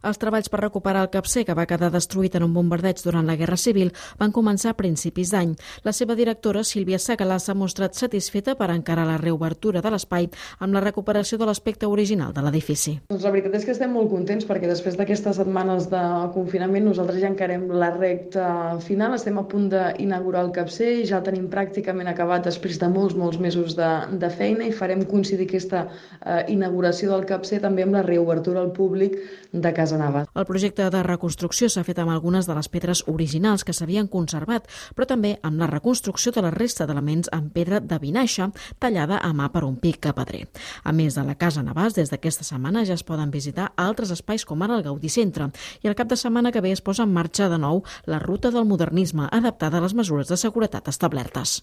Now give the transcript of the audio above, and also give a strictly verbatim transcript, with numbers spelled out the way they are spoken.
Els treballs per recuperar el capcer, que va quedar destruït en un bombardeig durant la Guerra Civil, van començar a principis d'any. La seva directora, Sílvia Segalà, s'ha mostrat satisfeta per encarar la reobertura de l'espai amb la recuperació de l'aspecte original de l'edifici. Doncs la veritat és que estem molt contents perquè després d'aquestes setmanes de confinament nosaltres ja encarem la recta final, estem a punt d'inaugurar el capcer i ja el tenim pràcticament acabat després de molts, molts mesos de, de feina i farem coincidir aquesta eh, inauguració del capcer també amb la reobertura al públic de Casa Navàs. El projecte de reconstrucció s'ha fet amb algunes de les pedres originals que s'havien conservat, però també amb la reconstrucció de la resta d'elements en pedra de vinaixa tallada a mà per un pic pedrer. A més de la Casa Navàs, des d'aquesta setmana ja es poden visitar altres espais com ara el Gaudí Centre i el cap de setmana que ve es posa en marxa de nou la ruta del modernisme adaptada a les mesures de seguretat establertes.